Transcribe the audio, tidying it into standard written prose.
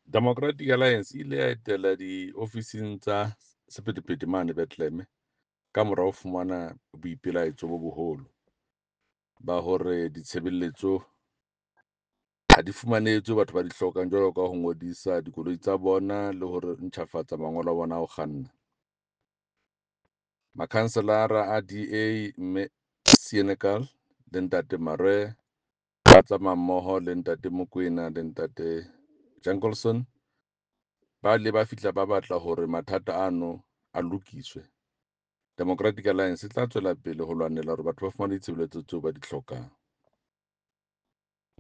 Democratic Alliance e ile ya etela diofising tsa sephethephethe mane Bethlehem ka mora ho fumana boipelaetso bo boholo ba hore ditshebeletso ha di fumanehe tseo batho ba di hlokang jwalo ka ho ngodisa dikoloi tsa bona le hore ntjhafatsa mangolo a bona a ho kganna. Makhanselara a DA mme Senekal le Ntate Mare ba tsamaya mmoho le Ntate Mokoena le Ntate Jankelson ba ile ba fihla ba batla hore mathata ano a lokiswe. Democratic Alliance e tla tswela pele ho lwanela hore batho ba fumane ditshebeletso tseo ba di hlokang.